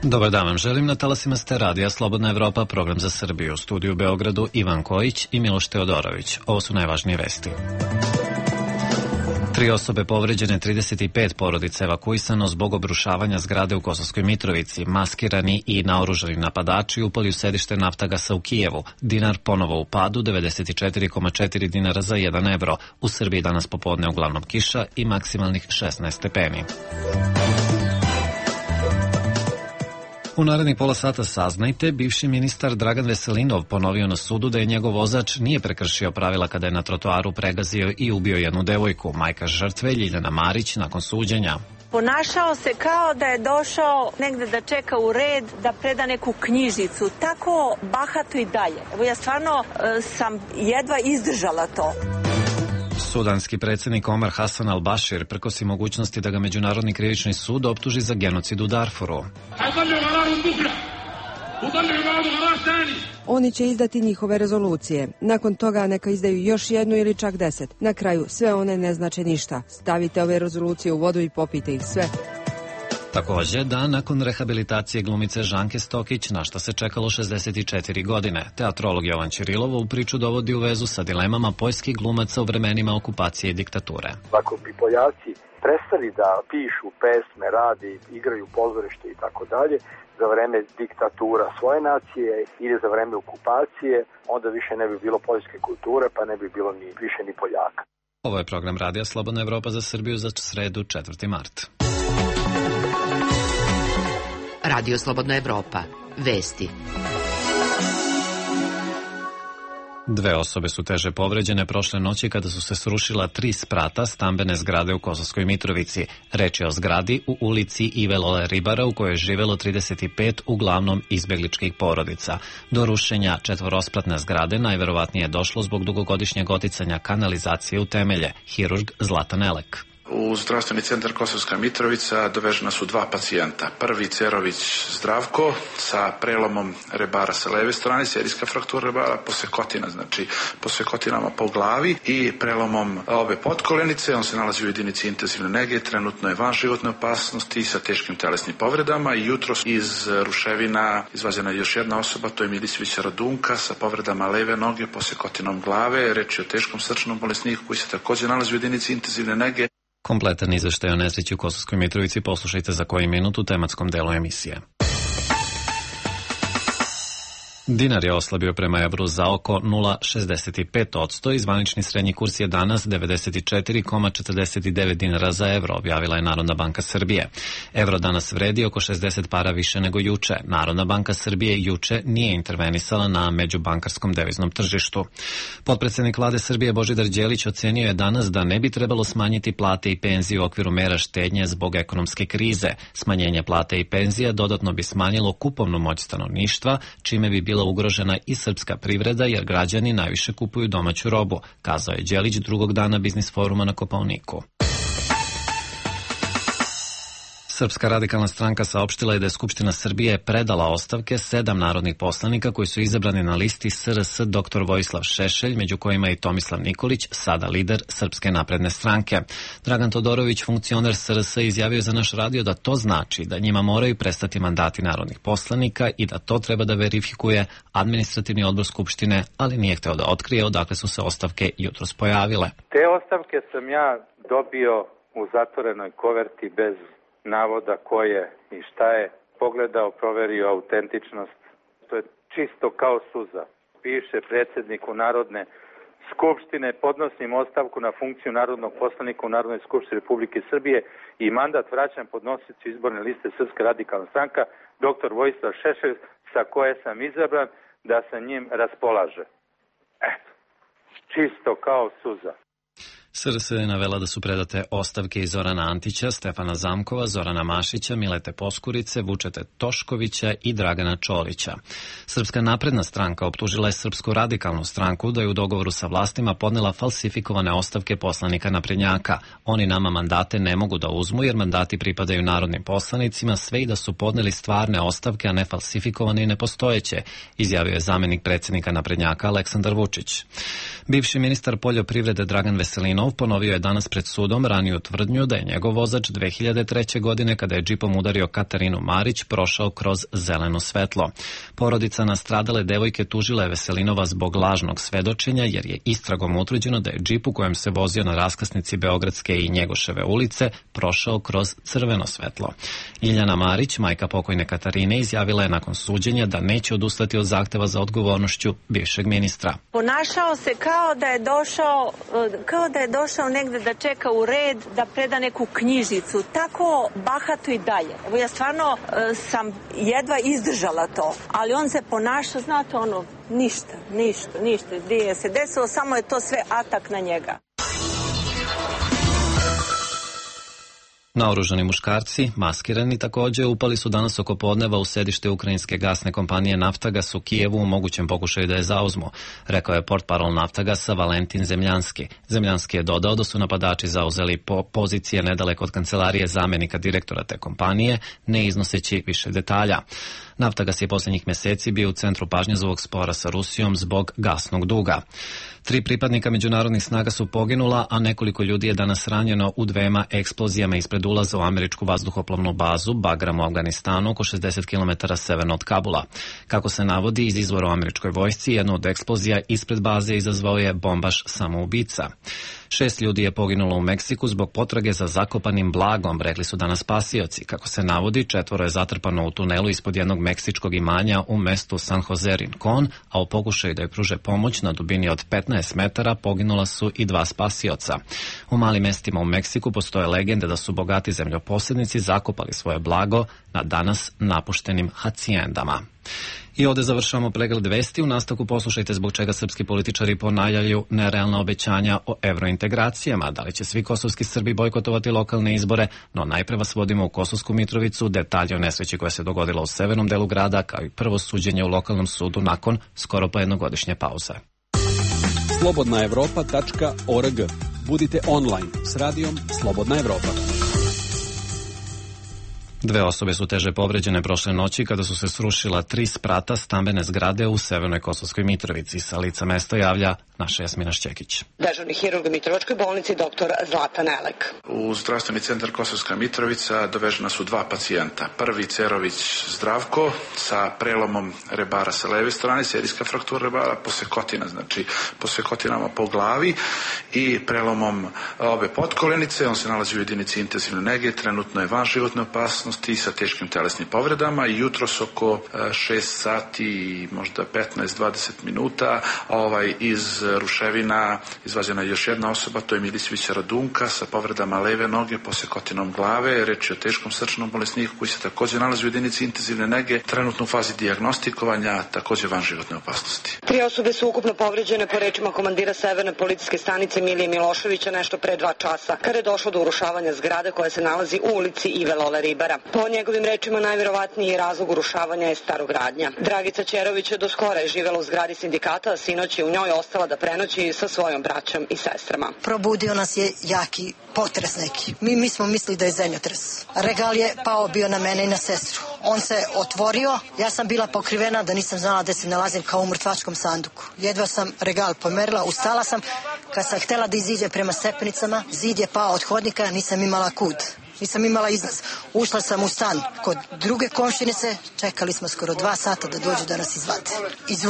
Dobar dan vam želim, na talasima ste radija Slobodna Evropa, program za Srbiju. U studiju u Beogradu Ivan Kojić i Miloš Teodorović. Ovo su najvažnije vesti. 3 osobe povređene, 35 porodica evakuisano zbog obrušavanja zgrade u Kosovskoj Mitrovici. Maskirani i naoružani napadači upali u sedište Naftagasa u Kijevu. Dinar ponovo u padu, 94,4 dinara za 1 evro. U Srbiji danas popodne uglavnom kiša i maksimalnih 16 stepeni. U narednih pola sata saznajte, bivši ministar Dragan Veselinov ponovio na sudu da je njegov vozač nije prekršio pravila kada je na trotoaru pregazio i ubio jednu devojku. Majka žrtve Ljiljana Marić nakon suđenja. Ponašao se kao da je došao negde da čeka u red, da preda neku knjižicu. Tako bahato i dalje. Evo ja stvarno sam jedva izdržala to. Sudanski predsjednik Omar Hassan al-Bashir prkosi mogućnosti da ga Međunarodni krivični sud optuži za genocid u Darfuru. Oni će izdati njihove rezolucije. Nakon toga neka izdaju još jednu ili čak 10. Na kraju sve one ne znače ništa. Stavite ove rezolucije u vodu i popijte ih sve. Također da nakon rehabilitacije glumice Žanke Stokić, na šta se čekalo 64 godine, teatrolog Jovan Ćirilov u priču dovodi u vezu sa dilemama poljskih glumaca u vremenima okupacije i diktature. Ako bi Poljaci prestali da pišu pesme, radi, igraju pozorište i tako dalje, za vreme diktatura svoje nacije ili za vreme okupacije, onda više ne bi bilo poljske kulture, pa ne bi bilo više ni Poljaka. Ovo je program Radija Slobodna Evropa za Srbiju za sredu 4. mart. Radio Slobodna Evropa. Vesti. 2 osobe su teže povređene prošle noći kada su se srušila 3 sprata stambene zgrade u Kosovskoj Mitrovici. Reč je o zgradi u ulici Ive Lole Ribara u kojoj je živelo 35 uglavnom izbegličkih porodica. Do rušenja 4-spratne zgrade najverovatnije je došlo zbog dugogodišnjeg oticanja kanalizacije u temelje. Hirurg Zlatan Elek. U zdravstveni centar Kosovska Mitrovica dovežena su 2 pacijenta. Prvi Cerović Zdravko sa prelomom rebara sa leve strane, serijska fraktura rebara, posekotina, znači posekotinama po glavi i prelomom obe potkolenice. On se nalazi u jedinici intenzivne nege, trenutno je van životne opasnosti sa teškim telesnim povredama i jutros iz ruševina izvađena je još jedna osoba, to je Milićević Radunka sa povredama leve noge, posekotinom glave. Reč je o teškom srčanom bolesniku koji se također nalazi u jedinici intenzivne nege. Kompletan izveštaj o nesreći u Kosovskoj Mitrovici poslušajte za koji minut u tematskom delu emisije. Dinar je oslabio prema evru za oko 0,65% i zvanični srednji kurs je danas 94,49 dinara za evro, objavila je Narodna banka Srbije. Evro danas vredi oko 60 para više nego juče. Narodna banka Srbije juče nije intervenisala na međubankarskom deviznom tržištu. Potpredsednik vlade Srbije Božidar Đelić ocenio je danas da ne bi trebalo smanjiti plate i penzije u okviru mera štednje zbog ekonomske krize. Smanjenje plate i penzija dodatno bi smanjilo kupovnu moć stanovništva, čime bi bila ugrožena i srpska privreda jer građani najviše kupuju domaću robu, kazao je Đelić drugog dana biznis foruma na Kopaoniku. Srpska radikalna stranka saopštila je da je Skupština Srbije predala ostavke 7 narodnih poslanika koji su izabrani na listi SRS dr. Vojislav Šešelj, među kojima i Tomislav Nikolić, sada lider Srpske napredne stranke. Dragan Todorović, funkcioner SRS, izjavio za naš radio da to znači da njima moraju prestati mandati narodnih poslanika i da to treba da verifikuje administrativni odbor Skupštine, ali nije hteo da otkrije odakle su se ostavke jutros pojavile. Te ostavke sam ja dobio u zatvorenoj koverti bez navoda ko je i šta je, pogledao, proverio autentičnost. To je čisto kao suza. Piše predsjedniku Narodne skupštine, podnosim ostavku na funkciju narodnog poslanika u Narodnoj skupštini Republike Srbije i mandat vraćam podnosiocu izborne liste Srpska radikalna stranka, dr. Vojislav Šešelj, sa koje sam izabran, da sa njim raspolaže. Eto, čisto kao suza. SRS je navela da su predate ostavke i Zorana Antića, Stefana Zamkova, Zorana Mašića, Milete Poskurice, Vučete Toškovića i Dragana Čolića. Srpska napredna stranka optužila je Srpsku radikalnu stranku da je u dogovoru sa vlastima podnela falsifikovane ostavke poslanika naprednjaka. Oni nama mandate ne mogu da uzmu jer mandati pripadaju narodnim poslanicima, sve i da su podneli stvarne ostavke, a ne falsifikovane i nepostojeće, izjavio je zamenik predsjednika naprednjaka Aleksandar Vučić. Bivši ministar poljoprivrede Dragan Veselinov Hasanov ponovio je danas pred sudom raniju tvrdnju da je njegov vozač 2003. godine kada je džipom udario Katarinu Marić prošao kroz zeleno svetlo. Porodica nastradale devojke tužila je Veselinova zbog lažnog svedočenja jer je istragom utvrđeno da je džip u kojem se vozio na raskrsnici Beogradske i Njegoševe ulice prošao kroz crveno svetlo. Iljana Marić, majka pokojne Katarine, izjavila je nakon suđenja da neće odustati od zahteva za odgovornošću bivšeg ministra. Ponašao se kao da je došao negde da čeka u red da preda neku knjižicu. Tako bahato i dalje. Evo ja stvarno sam jedva izdržala to. Ali on se ponaša, znate ništa. Gdje se desilo, samo je to sve atak na njega. Naoružani muškarci, maskirani također, upali su danas oko podneva u sedište ukrajinske gasne kompanije Naftagas u Kijevu u mogućem pokušaju da je zauzmu, rekao je portparol Naftagasa Valentin Zemljanski. Zemljanski je dodao da su napadači zauzeli pozicije nedaleko od kancelarije zamenika direktora te kompanije, ne iznoseći više detalja. Naftagas je posljednjih mjeseci bio u centru pažnje zbog spora sa Rusijom zbog gasnog duga. 3 pripadnika međunarodnih snaga su poginula, a nekoliko ljudi je danas ranjeno u 2 eksplozijama ispred ulaza u američku vazduhoplovnu bazu Bagram u Afganistanu, oko 60 km severno od Kabula. Kako se navodi iz izvora u američkoj vojsci, jednu od eksplozija ispred baze izazvao je bombaš samoubica. 6 ljudi je poginulo u Meksiku zbog potrage za zakopanim blagom, rekli su danas spasioci. Kako se navodi, 4 je zatrpano u tunelu ispod jednog meksičkog imanja u mestu San Jose Rincon, a u pokušaju da joj pruže pomoć na dubini od 15 metara poginula su i 2 spasioca. U malim mestima u Meksiku postoje legende da su bogati zemljoposjednici zakopali svoje blago na danas napuštenim hacijendama. I ovdje završavamo pregled vesti. U nastavku poslušajte zbog čega srpski političari ponavljaju nerealna obećanja o evrointegracijama. Da li će svi kosovski Srbi bojkotovati lokalne izbore, no najpre vas vodimo u Kosovsku Mitrovicu, detalje o nesreći koja se dogodila u severnom delu grada, kao i prvo suđenje u lokalnom sudu nakon skoro pa jednogodišnje pauze. slobodnaevropa.org. Budite online s radijom Slobodna Evropa. 2 osobe su teže povređene prošle noći kada su se srušila 3 sprata stambene zgrade u severnoj Kosovskoj Mitrovici. Sa lica mesta javlja naša Jasmina Šćekić. Dežurni hirurg u Mitrovačkoj bolnici dr. Zlatan Elek. U zdravstveni centar Kosovska Mitrovica dovežena su 2 pacijenta. Prvi Cerović Zdravko sa prelomom rebara sa leve strane, serijska fraktura rebara, posekotina, znači posekotinama po glavi i prelomom obe potkolenice. On se nalazi u jedinici intenzivne nege, trenutno je van životne opasnosti sa teškim telesnim povredama i jutros oko 6 sati i možda 15-20 minuta iz ruševina izvađena je još jedna osoba, to je Milićevića Radunka sa povredama leve noge, posekotinom glave. Reč je o teškom srčanom bolesniku koji se također nalazi u jedinici intenzivne nege, trenutno u fazi dijagnostikovanja, također van životne opasnosti. 3 osobe su ukupno povređene po rečima komandira Severne policijske stanice Milije Miloševića nešto pre 2 časa, kada je došlo do urušavanja zgrade koja se nalazi u ulici Ive Lole Ribara. Po njegovim rečima najvjerovatniji razlog urušavanja je starogradnja. Dragica Ćerović do skora je živjela u zgradi sindikata, a sinoć je u njoj ostala da prenoći sa svojom braćom i sestrama. Probudio nas je jaki potres neki. Mi smo mislili da je zemljotres. Regal je pao bio na mene i na sestru. On se otvorio, ja sam bila pokrivena da nisam znala da se nalazim kao u mrtvačkom sanduku. Jedva sam regal pomerila, ustala sam. Kad sam htjela da iziđe prema stepenicama, zid je pao od hodnika, nisam imala kud. Nisam imala izlaz. Ušla sam u stan kod druge komšinice, čekali smo skoro 2 sata da dođu da nas izvade.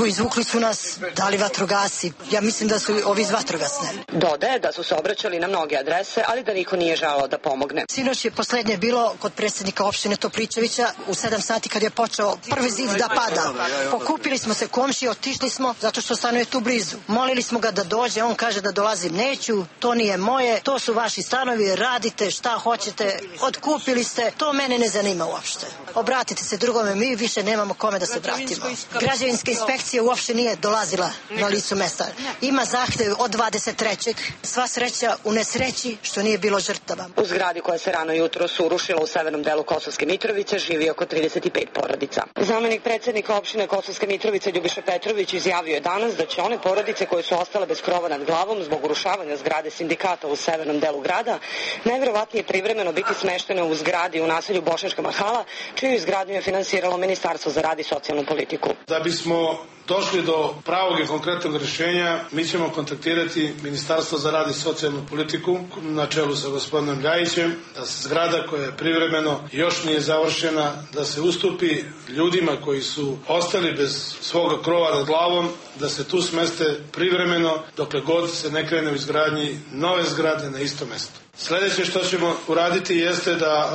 Izvukli su nas, dali vatrogasci. Ja mislim da su ovi iz vatrogasne. Dodaje da su se obraćali na mnoge adrese, ali da niko nije želeo da pomogne. Sinoć je poslednje bilo kod predsjednika opštine Topličevića u 7 sati kad je počeo prvi zid da pada. Pokupili smo se komšije, otišli smo zato što stanuje tu blizu. Molili smo ga da dođe, on kaže da dolazim neću, to nije moje, to su vaši stanovi, radite šta hoćete. Otkupili ste, to mene ne zanima uopšte. Obratite se drugome, mi više nemamo kome da se vratimo. Građevinska inspekcija uopšte nije dolazila na licu mesta. Ima zahtev od 23. Sva sreća u nesreći što nije bilo žrtava. U zgradi koja se rano jutro urušila u severnom delu Kosovske Mitrovice živi oko 35 porodica. Zamenik predsjednika opštine Kosovske Mitrovice Ljubiša Petrović izjavio je danas da će one porodice koje su ostale bez krova nad glavom zbog urušavanja zgrade sindikata u severnom delu grada najvjerovatnije privremeno biti smeštene u zgradi u naselju Bošnjačka Mahala, čiji čiju izgradnju je finansiralo Ministarstvo za rad i socijalnu politiku. Da bismo došli do pravog i konkretnog rješenja, mi ćemo kontaktirati Ministarstvo za rad i socijalnu politiku na čelu sa gospodinom Ljajićem, da se zgrada koja je privremeno još nije završena, da se ustupi ljudima koji su ostali bez svoga krova nad glavom, da se tu smeste privremeno dokle god se ne krene u izgradnji nove zgrade na istom mjestu. Sljedeće što ćemo uraditi jeste da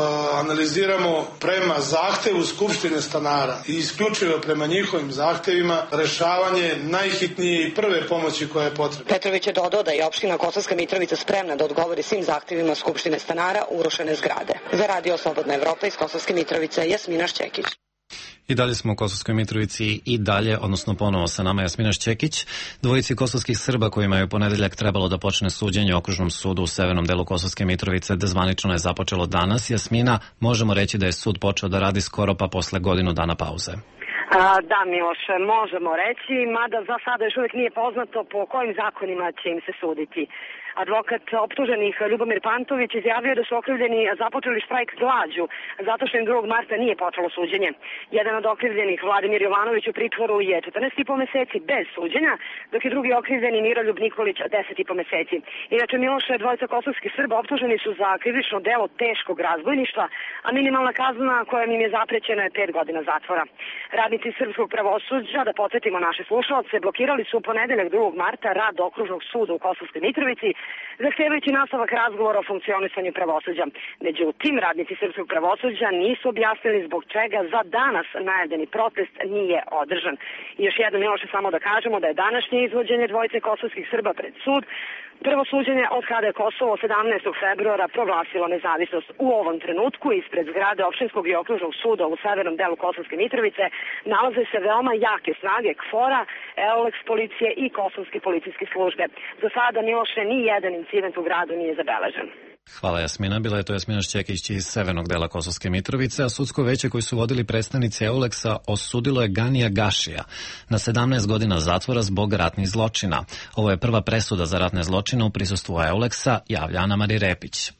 analiziramo prema zahtevu Skupštine stanara i isključivo prema njihovim zahtevima rešavanje najhitnije i prve pomoći koja je potrebna. Petrović je dodao da je opština Kosovska Mitrovica spremna da odgovori svim zahtevima Skupštine stanara urušene zgrade. Za Radio Slobodna Evropa iz Kosovske Mitrovice, Jasmina Šćekić. I dalje smo u Kosovskoj Mitrovici i dalje, odnosno ponovo sa nama Jasmina Šćekić. Dvojici kosovskih Srba kojima je u ponedeljak trebalo da počne suđenje u Okružnom sudu u severnom delu Kosovske Mitrovice zvanično je započelo danas. Jasmina, možemo reći da je sud počeo da radi skoro pa posle godinu dana pauze. Da, Miloše, možemo reći, mada za sada još uvijek nije poznato po kojim zakonima će im se suditi. Advokat optuženih Ljubomir Pantović izjavio da su okrivljeni započeli štrajk glađu zato što im 2. marta nije počelo suđenje. Jedan od okrivljenih, Vladimir Jovanović, u pritvoru je 14,5 meseci bez suđenja, dok je drugi okrivljeni Miroljub Nikolić 10,5 meseci. Inače, Miloše, dvojica kosovskih Srba optuženi su za krivično delo teškog razbojništva, a minimalna kazna koja im je zaprećena je 5 godina zatvora. Radnici srpskog pravosuđa, da podsjetimo naše slušalce, blokirali su u ponedeljak 2. marta rad Okružnog suda u Kosovskoj Mitrovici, zahtevajući nastavak razgovora o funkcionisanju pravosuđa. Međutim, radnici srpskog pravosuđa nisu objasnili zbog čega za danas najavljeni protest nije održan. I još jednom, Miloše, samo da kažemo da je današnje izvođenje dvojice kosovskih Srba pred sud prvo suđenje od kada je Kosovo 17. februara proglasilo nezavisnost. U ovom trenutku ispred zgrade Opštinskog i Okružnog suda u severnom delu Kosovske Mitrovice nalaze se veoma jake snage KFOR-a, EULEX policije i kosovske policijske službe. Za sada, Miloše, ni jedan incident u gradu nije zabeležen. Hvala Jasmina, bila je to Jasmina Šćekić iz severnog dela Kosovske Mitrovice, a sudsko veće koji su vodili predstavnici EULEX-a osudilo je Ganija Gašija na 17 godina zatvora zbog ratnih zločina. Ovo je prva presuda za ratne zločine u prisustvu EULEX-a, javlja Ana Mari Repić.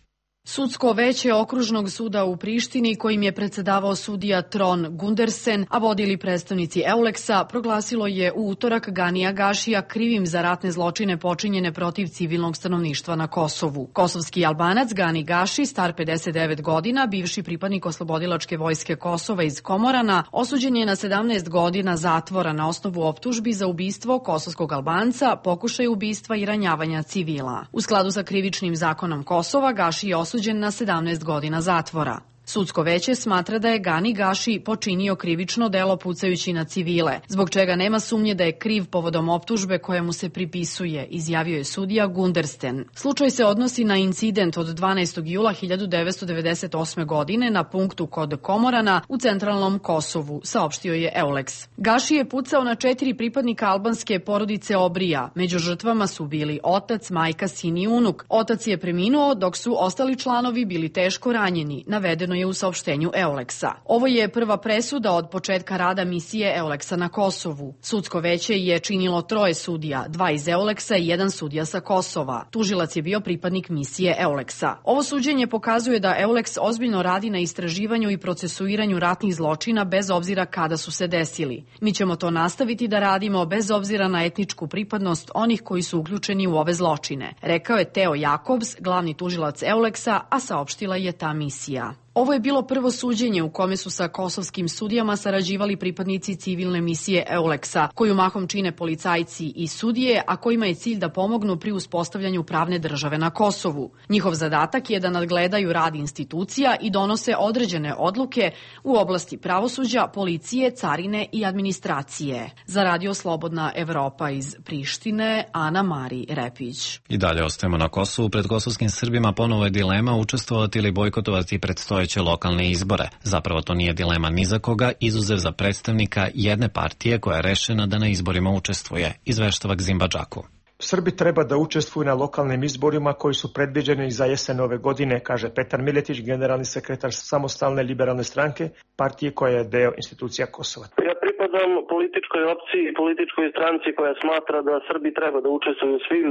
Sudsko veće Okružnog suda u Prištini, kojim je predsedavao sudija Tron Gundersen, a vodili predstavnici EULEX-a, proglasilo je u utorak Ganija Gašija krivim za ratne zločine počinjene protiv civilnog stanovništva na Kosovu. Kosovski Albanac Gani Gaši, star 59 godina, bivši pripadnik oslobodilačke vojske Kosova iz Komorana, osuđen je na 17 godina zatvora na osnovu optužbi za ubistvo kosovskog Albanca, pokušaj ubistva i ranjavanja civila. U skladu sa krivičnim zakonom Kosova, Gaši je osuđen na 17 godina zatvora. Sudsko veće smatra da je Gani Gaši počinio krivično delo pucajući na civile, zbog čega nema sumnje da je kriv povodom optužbe koja mu se pripisuje, izjavio je sudija Gundersen. Slučaj se odnosi na incident od 12. jula 1998. godine na punktu kod Komorana u centralnom Kosovu, saopštio je EULEX. Gaši je pucao na 4 pripadnika albanske porodice Obrija. Među žrtvama su bili otac, majka, sin i unuk. Otac je preminuo dok su ostali članovi bili teško ranjeni, navedeno je u saopštenju EULEX-a. Ovo je prva presuda od početka rada misije EULEX-a na Kosovu. Sudsko veće je činilo 3 sudija, 2 iz EULEX-a i 1 sudija sa Kosova. Tužilac je bio pripadnik misije EULEX-a. Ovo suđenje pokazuje da EULEX ozbiljno radi na istraživanju i procesuiranju ratnih zločina bez obzira kada su se desili. Mi ćemo to nastaviti da radimo bez obzira na etničku pripadnost onih koji su uključeni u ove zločine, rekao je Teo Jakobs, glavni tužilac EULEX-a, a saopštila je ta misija. Ovo je bilo prvo suđenje u kome su sa kosovskim sudijama sarađivali pripadnici civilne misije EULEX-a, koju mahom čine policajci i sudije, a kojima je cilj da pomognu pri uspostavljanju pravne države na Kosovu. Njihov zadatak je da nadgledaju rad institucija i donose određene odluke u oblasti pravosuđa, policije, carine i administracije. Za Radio Slobodna Evropa iz Prištine, Ana Mari Repić. I dalje ostajemo na Kosovu. Pred kosovskim Srbima ponovo je dilema učestvovati ili bojkotovati predstojeće lokalne izbore. Zapravo to nije dilema ni za koga, izuzev za predstavnika jedne partije koja je rešena da na izborima učestvuje, izveštava Gzimba Džaku. Srbi treba da učestvuju na lokalnim izborima koji su predviđeni za jesen ove godine, kaže Petar Miletić, generalni sekretar Samostalne liberalne stranke, partije koja je deo institucija Kosova. Ja pripadam političkoj opciji i političkoj stranci koja smatra da Srbi treba da učestvuju u svim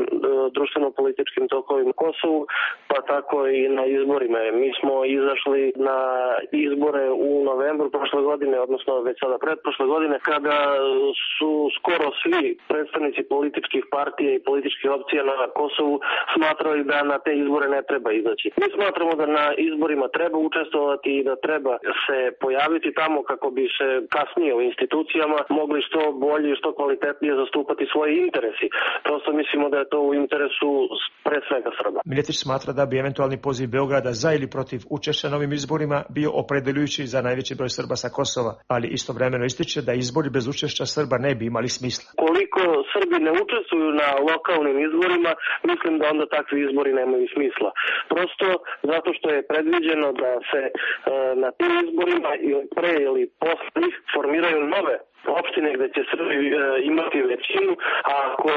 društveno-političkim tokovima Kosovu, pa tako i na izborima. Mi smo izašli na izbore u novembru prošle godine, odnosno već sada pretprošle godine, kada su skoro svi predstavnici političkih partija i političkih opcija na Kosovu smatrali da na te izbore ne treba izaći. Mi smatramo da na izborima treba učestvovati i da treba se pojaviti tamo kako bi se kasnije u institucijama mogli što bolje i što kvalitetnije zastupati svoje interesi. Prosto mislimo da je to u interesu pre svega Srba. Miletić smatra da bi eventualni poziv Beograda za ili protiv učešća na ovim izborima bio opredeljujući za najveći broj Srba sa Kosova, ali istovremeno ističe da izbori bez učešća Srba ne bi imali smisla. Koliko Srbi ne učestvuju na lokalnim izborima, mislim da onda takvi izbori nemaju smisla. Prosto zato što je predviđeno da se na tim izborima pre ili posle njih formiraju nove opštine gde će Srbi imati većinu, a ako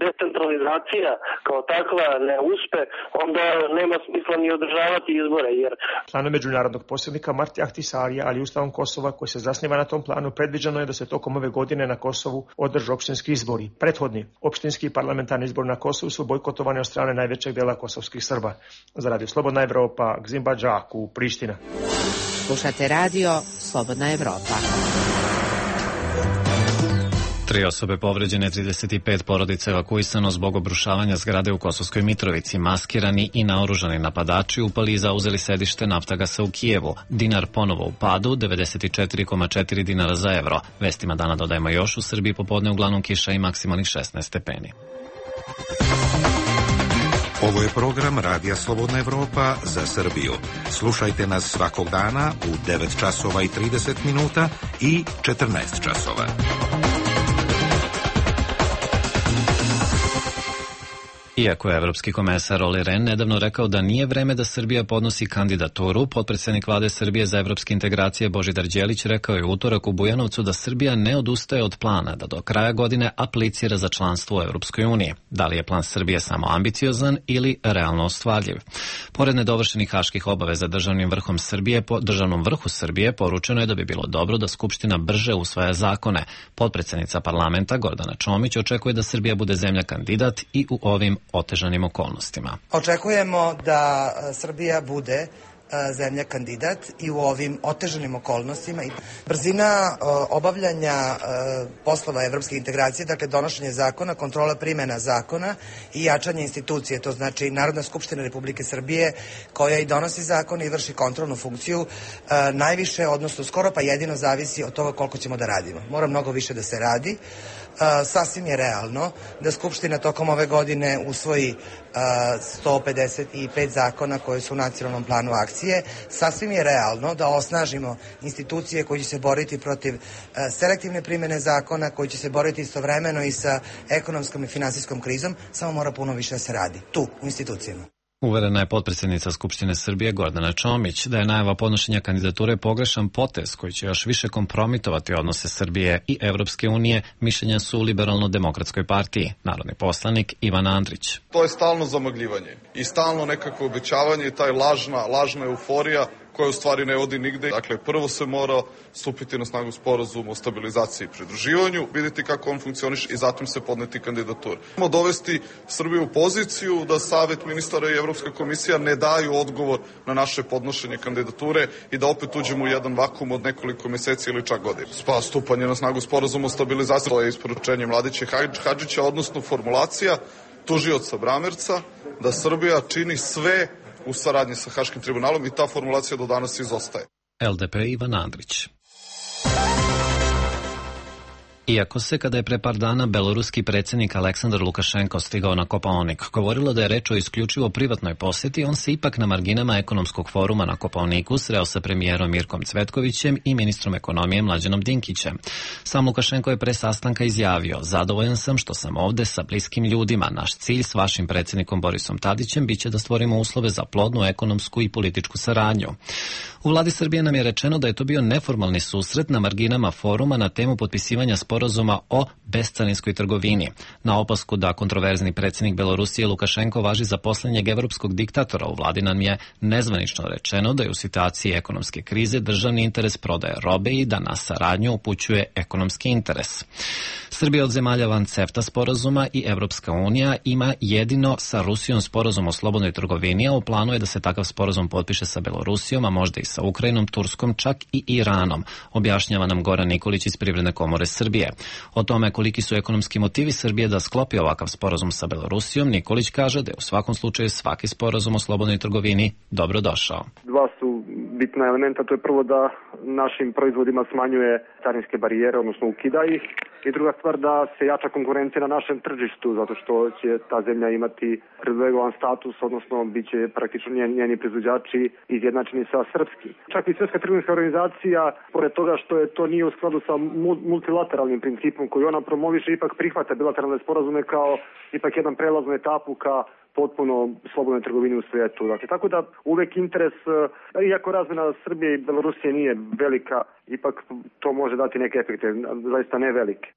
decentralizacija kao takva ne uspe, onda nema smisla ni održavati izbore. Planom međunarodnog posrednika Marti Ahtisarija, ali i Ustavom Kosova koji se zasniva na tom planu, predviđeno je da se tokom ove godine na Kosovu održe opštinski izbori. Prethodni opštinski i parlamentarni izbori na Kosovu su bojkotovani od strane najvećeg dela kosovskih Srba. Za Radio Slobodna Evropa, Gzimba Džaku, Priština. Slušate radio Slobodna Evropa. 3 osobe povređene, 35 porodica evakuisano zbog obrušavanja zgrade u Kosovskoj Mitrovici. Maskirani i naoružani napadači upali i zauzeli sedište Naftagasa u Kijevu. Dinar ponovo u padu, 94,4 dinara za evro. Vestima dana dodajemo još, u Srbiji popodne uglavnom kiša i maksimalnih 16 stepeni. Ovo je program Radija Slobodna Evropa za Srbiju. Slušajte nas svakog dana u 9 časova i 30 minuta i 14 časova. Iako je evropski komesar Olli Rehn nedavno rekao da nije vreme da Srbija podnosi kandidaturu, potpredsednik vlade Srbije za evropske integracije Božidar Đelić rekao je u utorak u Bujanovcu da Srbija ne odustaje od plana da do kraja godine aplicira za članstvo u Evropskoj uniji. Da li je plan Srbije samo ambiciozan ili realno ostvarljiv? Pored nedovršenih haških obaveza državnom vrhu Srbije poručeno je da bi bilo dobro da Skupština brže usvaja zakone. Potpredsednica parlamenta Gordana Čomić očekuje da Srbija bude zemlja kandidat i u ovim otežanim okolnostima. Očekujemo da Srbija bude zemlja kandidat i u ovim otežanim okolnostima. Brzina obavljanja poslova evropske integracije, dakle donošenje zakona, kontrola primjena zakona i jačanje institucije, to znači Narodna skupština Republike Srbije koja i donosi zakon i vrši kontrolnu funkciju, najviše, odnosno skoro pa jedino zavisi od toga koliko ćemo da radimo. Mora mnogo više da se radi. Sasvim je realno da Skupština tokom ove godine usvoji 155 zakona koje su u nacionalnom planu akcije. Sasvim je realno da osnažimo institucije koje će se boriti protiv selektivne primjene zakona, koji će se boriti istovremeno i sa ekonomskom i finansijskom krizom, samo mora puno više da se radi tu, u institucijama. Uverena je potpredsednica Skupštine Srbije Gordana Čomić da je najava podnošenja kandidature pogrešan potez koji će još više kompromitovati odnose Srbije i Evropske unije, mišljenja su u Liberalno-demokratskoj partiji. Narodni poslanik Ivan Andrić. To je stalno zamagljivanje i stalno nekako obećavanje i taj lažna euforija koja u stvari ne vodi nigde. Dakle, prvo se mora stupiti na snagu sporazum o stabilizaciji i pridruživanju, vidjeti kako on funkcioniše i zatim se podneti kandidatur. Moramo dovesti Srbiju u poziciju da Savet ministara i Evropska komisija ne daju odgovor na naše podnošenje kandidature i da opet uđemo u jedan vakum od nekoliko mjeseci ili čak godina. Pa stupanje na snagu sporazuma o stabilizaciji, to je isporučenje Mladića Hadžića, odnosno formulacija tužioca Bramerca da Srbija čini sve u saradnji sa Haškim tribunalom i ta formulacija do danas izostaje. LDP Ivan Andrić. Iako se, kada je pre par dana beloruski predsjednik Aleksandar Lukašenko stigao na Kopaonik, govorilo da je reč o isključivo privatnoj posjeti, on se ipak na marginama ekonomskog foruma na Kopaoniku sreo sa premijerom Mirkom Cvetkovićem i ministrom ekonomije Mlađanom Dinkićem. Sam Lukašenko je pre sastanka izjavio: zadovoljan sam što sam ovde sa bliskim ljudima. Naš cilj s vašim predsjednikom Borisom Tadićem biće da stvorimo uslove za plodnu ekonomsku i političku saradnju. U vladi Srbije nam je rečeno da je to bio neformalni susret na marginama foruma na temu potpisivanja sporazuma sporazuma o bescarinskoj trgovini. Na opasku da kontroverzni predsjednik Belorusije Lukašenko važi za posljednjeg evropskog diktatora u vladi nam je nezvanično rečeno da je u situaciji ekonomske krize državni interes prodaje robe i da na saradnju upućuje ekonomski interes. Srbija od zemalja van CEFTA sporazuma i Evropska unija ima jedino sa Rusijom sporazum o slobodnoj trgovini, a u planu je da se takav sporazum potpiše sa Belorusijom, a možda i sa Ukrajinom, Turskom, čak i Iranom, objašnjava nam Goran Nikolić iz Privredne komore Srbije. O tome koliki su ekonomski motivi Srbije da sklopi ovakav sporazum sa Belorusijom, Nikolić kaže da je u svakom slučaju svaki sporazum o slobodnoj trgovini dobrodošao. Dva su bitna elementa, to je prvo da našim proizvodima smanjuje carinske barijere, odnosno ukida ih, i druga stvar da se jača konkurencija na našem tržištu, zato što će ta zemlja imati privilegovan status, odnosno bit će praktično njeni proizvođači izjednačeni sa srpskim. Čak i Svjetska trgovinska organizacija, pored toga što je to nije u skladu sa multilateralnim principom koji ona promoviše, ipak prihvata bilateralne sporazume kao ipak jedan prelaznu etapu ka potpuno slobodnoj trgovini u svijetu. Dakle, tako da uvek interes, iako razmjena Srbije i Belorusije nije velika, ipak to može dati neke efekte, zaista ne velike.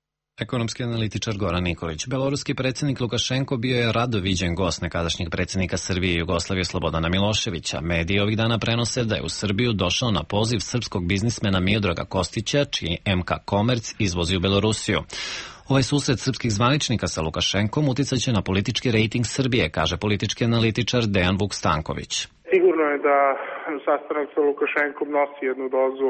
Ekonomski analitičar Goran Nikolić. Beloruski predsjednik Lukašenko bio je rado viđen gost nekadašnjeg predsjednika Srbije i Jugoslavije Slobodana Miloševića. Mediji ovih dana prenose da je u Srbiju došao na poziv srpskog biznismena Miodraga Kostića, čiji MK Komerc izvozi u Belorusiju. Ovaj susret srpskih zvaničnika sa Lukašenkom uticaće na politički rejting Srbije, kaže politički analitičar Dejan Vuk Stanković. Sigurno je da sastanak sa Lukašenkom nosi jednu dozu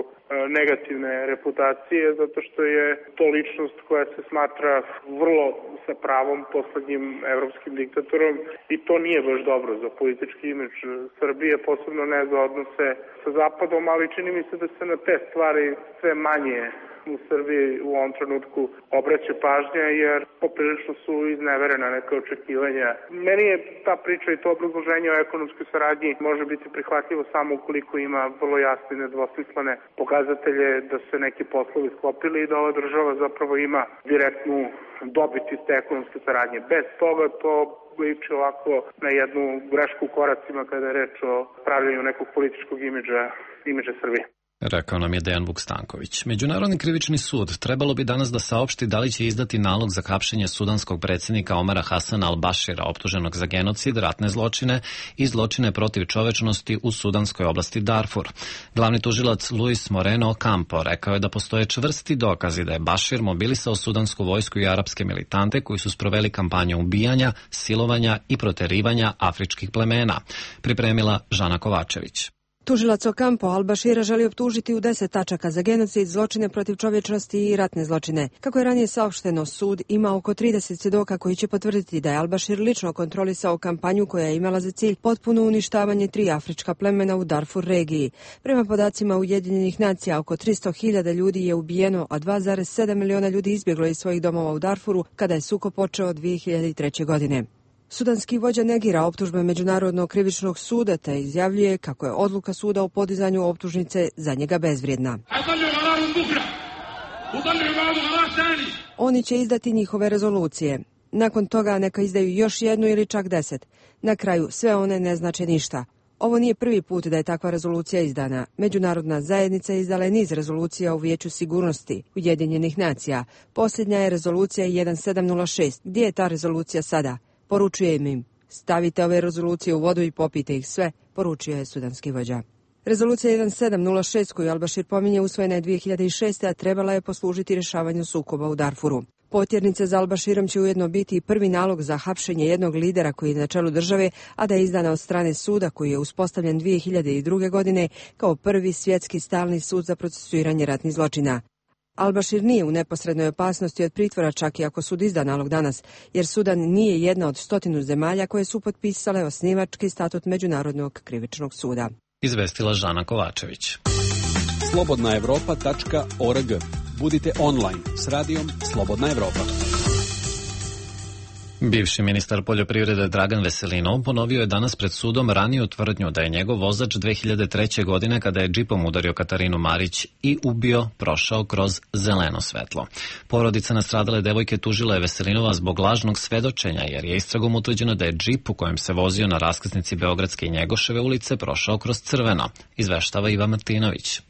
negativne reputacije, zato što je to ličnost koja se smatra vrlo sa pravom poslednjim evropskim diktatorom i to nije baš dobro za politički imidž Srbije, posebno ne za odnose sa Zapadom, ali čini mi se da se na te stvari sve manje u Srbiji u ovom trenutku obraća pažnja, jer poprilično su izneverena neka očekivanja. Meni je ta priča i to obrazloženje o ekonomskoj saradnji može biti prihvatljivo samo ukoliko ima vrlo jasne i nedvosmislene pokazatelje da se neki poslovi sklopili i da ova država zapravo ima direktnu dobit iz te ekonomske saradnje. Bez toga to liči ovako na jednu grešku u koracima kada je reč o pravljanju nekog političkog imidža Srbije. Rekao nam je Dejan Vuk Stanković. Međunarodni krivični sud trebalo bi danas da saopšti da li će izdati nalog za hapšenje sudanskog predsjednika Omara Hasana al-Bashira, optuženog za genocid, ratne zločine i zločine protiv čovečnosti u sudanskoj oblasti Darfur. Glavni tužilac Luis Moreno Ocampo rekao je da postoje čvrsti dokazi da je Bashir mobilisao sudansku vojsku i arapske militante koji su sproveli kampanju ubijanja, silovanja i proterivanja afričkih plemena. Pripremila Žana Kovačević. Tužilac Ocampo al-Bashira želi optužiti u 10 tačaka za genocid, zločine protiv čovječnosti i ratne zločine. Kako je ranije saopšteno, sud ima oko 30 svjedoka koji će potvrditi da je al-Bashir lično kontrolisao kampanju koja je imala za cilj potpuno uništavanje 3 afrička plemena u Darfur regiji. Prema podacima Ujedinjenih nacija, oko 300.000 ljudi je ubijeno, a 2,7 miliona ljudi izbjeglo iz svojih domova u Darfuru kada je sukob počeo 2003. godine. Sudanski vođa negira optužbe Međunarodnog krivičnog suda te izjavljuje kako je odluka suda o podizanju optužnice za njega bezvrijedna. Oni će izdati njihove rezolucije. Nakon toga neka izdaju još jednu ili čak 10. Na kraju sve one ne znače ništa. Ovo nije prvi put da je takva rezolucija izdana. Međunarodna zajednica izdala je niz rezolucija u Vijeću sigurnosti Ujedinjenih nacija. Posljednja je rezolucija 1706. Gdje je ta rezolucija sada? Poručujem im, stavite ove rezolucije u vodu i popijte ih sve, poručio je sudanski vođa. Rezolucija 1706 koju al-Bashir pominje usvojena je 2006. a trebala je poslužiti rješavanju sukoba u Darfuru. Potjernice za al-Bashirom će ujedno biti i prvi nalog za hapšenje jednog lidera koji je na čelu države, a da je izdana od strane suda koji je uspostavljen 2002. godine kao prvi svjetski stalni sud za procesuiranje ratnih zločina. Al-Bashir nije u neposrednoj opasnosti od pritvora čak i ako sud izda nalog danas, jer Sudan nije jedna od 100 zemalja koje su potpisale osnivački statut Međunarodnog krivičnog suda. Izvestila Žana Kovačević. slobodnaevropa.org. Budite online s radijom Slobodna Evropa. Bivši ministar poljoprivrede Dragan Veselinov ponovio je danas pred sudom raniju tvrdnju da je njegov vozač 2003. godine kada je džipom udario Katarinu Marić i ubio prošao kroz zeleno svetlo. Porodica nastradale devojke tužila je Veselinova zbog lažnog svedočenja jer je istragom utvrđeno da je džip u kojem se vozio na raskrsnici Beogradske i Njegoševe ulice prošao kroz crveno, izveštava Iva Martinović.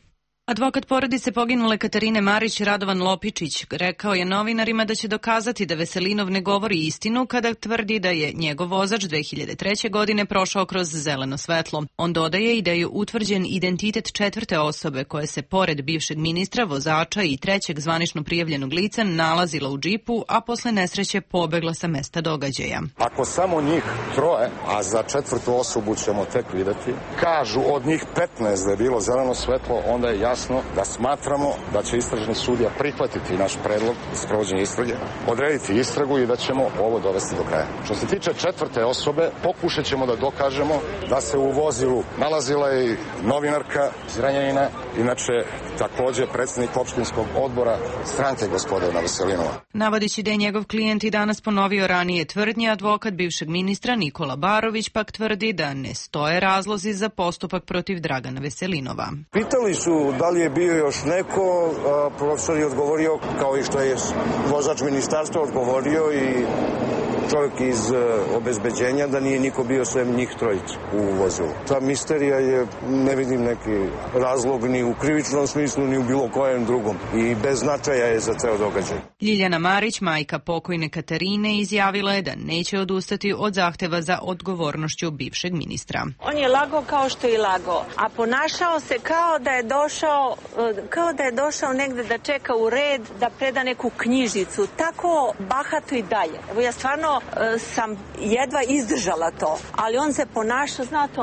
Advokat porodice poginule Katarine Marić, Radovan Lopičić, rekao je novinarima da će dokazati da Veselinov ne govori istinu kada tvrdi da je njegov vozač 2003. godine prošao kroz zeleno svetlo. On dodaje i da je utvrđen identitet četvrte osobe koja se pored bivšeg ministra, vozača i trećeg zvanično prijavljenog lica nalazila u džipu, a posle nesreće pobegla sa mesta događaja. Ako samo njih troje, a za četvrtu osobu ćemo tek videti, kažu od njih 15 da je bilo zeleno svetlo, onda je jasno da smatramo da će istražni sudija prihvatiti naš predlog za sprovođenje istrage, odrediti istragu i da ćemo ovo dovesti do kraja. Što se tiče četvrte osobe, pokušat ćemo da dokažemo da se u vozilu nalazila i novinarka iz Renjanina, inače takođe predsjednik opštinskog odbora stranke gospodina Veselinova. Navodići da je njegov klijent i danas ponovio ranije tvrdnje, advokat bivšeg ministra Nikola Barović pak tvrdi da ne stoje razlozi za postupak protiv Dragana Veselinova. Pitali su da li je bio još neko, profesor je odgovorio, kao i što je vozač ministarstva odgovorio i čovjek iz obezbeđenja, da nije niko bio sem njih trojica u vozilu. Ta misterija je, ne vidim neki razlog ni u krivičnom smislu, ni u bilo kojem drugom i bez značaja je za ceo događaj. Ljiljana Marić, majka pokojne Katarine, izjavila je da neće odustati od zahteva za odgovornošću bivšeg ministra. On je lagao kao što je lagao, a ponašao se kao da je došao negde da čeka u red da preda neku knjižicu. Tako bahato i dalje. Evo ja stvarno sam jedva izdržala to, ali on se ponaša, znate,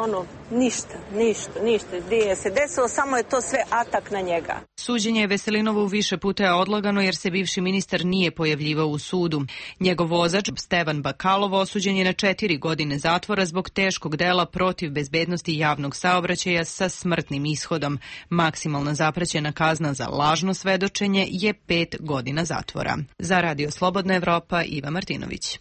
ništa, gdje se desilo, samo je to sve atak na njega. Suđenje Veselinovu više puta je odlagano jer se bivši ministar nije pojavljivao u sudu. Njegov vozač, Stevan Bakalov, osuđen je na 4 godine zatvora zbog teškog dela protiv bezbednosti javnog saobraćaja sa smrtnim ishodom. Maksimalna zaprećena kazna za lažno svedočenje je 5 godina zatvora. Za Radio Slobodna Evropa, Iva Martinović.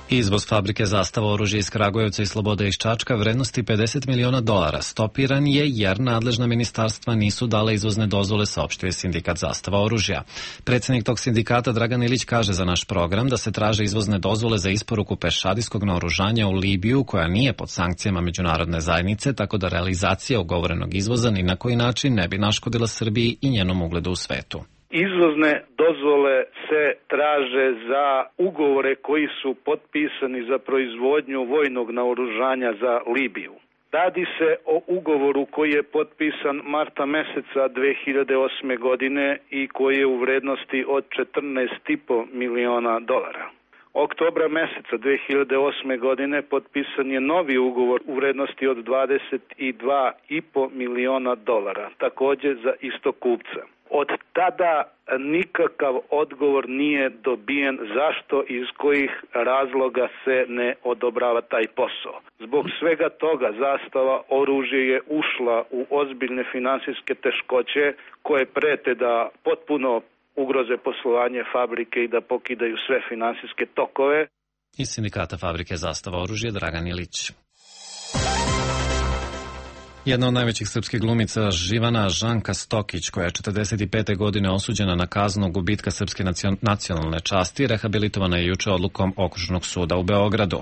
Izvoz fabrike Zastava oružja iz Kragujevca i Slobode iz Čačka vrednosti $50 miliona stopiran je jer nadležna ministarstva nisu dale izvozne dozvole, saopštio je sindikat Zastava oružja. Predsjednik tog sindikata Dragan Ilić kaže za naš program da se traže izvozne dozvole za isporuku pešadijskog naoružanja u Libiju koja nije pod sankcijama međunarodne zajednice, tako da realizacija ugovorenog izvoza ni na koji način ne bi naškodila Srbiji i njenom ugledu u svetu. Izvozne dozvole se traže za ugovore koji su potpisani za proizvodnju vojnog naoružanja za Libiju. Radi se o ugovoru koji je potpisan marta meseca 2008. godine i koji je u vrednosti od $14,5 miliona. Oktobra meseca 2008. godine potpisan je novi ugovor u vrednosti od $22,5 miliona, takođe za istog kupca. Od tada nikakav odgovor nije dobijen zašto i iz kojih razloga se ne odobrava taj posao. Zbog svega toga Zastava oružje je ušla u ozbiljne finansijske teškoće koje prete da potpuno ugroze poslovanje fabrike i da pokidaju sve finansijske tokove. Iz sindikata fabrike Zastava oružje Dragan Ilić. Jedna od najvećih srpskih glumica Živana Žanka Stokić, koja je 45. godine osuđena na kaznu gubitka srpske nacionalne časti, rehabilitovana je juče odlukom Okružnog suda u Beogradu.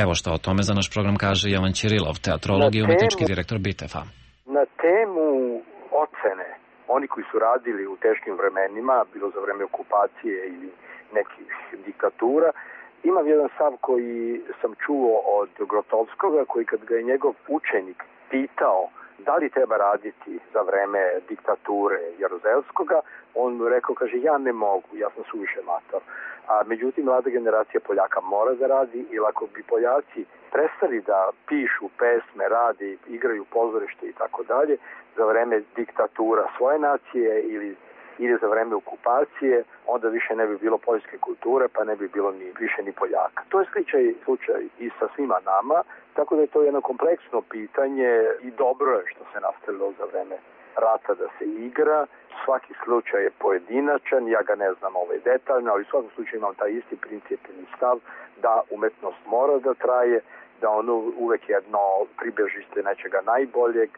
Evo što o tome za naš program kaže Jovan Ćirilov, teatrolog i umetnički direktor Bitefa. Na temu ocene, oni koji su radili u teškim vremenima, bilo za vreme okupacije ili nekih diktatura, imam jedan stav koji sam čuo od Grotovskoga, koji kad ga je njegov učenik pitao da li treba raditi za vreme diktature Jaruzelskoga, on mu rekao, kaže, ja ne mogu, ja sam suviše mator. A međutim, mlada generacija Poljaka mora da radi, jer ako bi Poljaci prestali da pišu pesme, radi, igraju pozorište i tako dalje, za vreme diktatura svoje nacije ili za vreme okupacije, onda više ne bi bilo poljske kulture, pa ne bi bilo više ni Poljaka. To je slučaj i sa svima nama, tako da je to jedno kompleksno pitanje i dobro je što se nastavilo za vreme rata da se igra. Svaki slučaj je pojedinačan, ja ga ne znam detaljno, ali u svakom slučaju imam taj isti principni stav da umetnost mora da traje, da ono uvek jedno pribežište nečega najboljeg,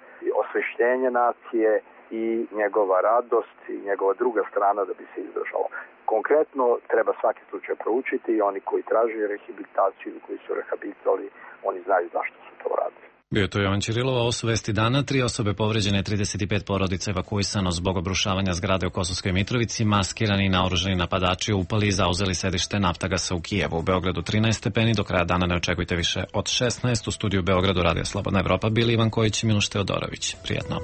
osvešćenje nacije i njegova radost i njegova druga strana da bi se izdržalo. Konkretno treba svaki slučaj proučiti i oni koji traže rehabilitaciju ili koji su rehabilitovali, oni znaju zašto su to radili. Bio to Jovan Ćirilov, ovo su vesti dana. 3 osobe povređene, 35 porodica evakuisano zbog obrušavanja zgrade u Kosovskoj Mitrovici. Maskirani i naoružani napadači upali i zauzeli sedište Naftagasa u Kijevu. U Beogradu 13 stepeni, do kraja dana ne očekujte više od 16. U studiju Beogradu Radija Slobodna Evropa bili Ivan Kojić i Miloš Teodorović. Prijetno.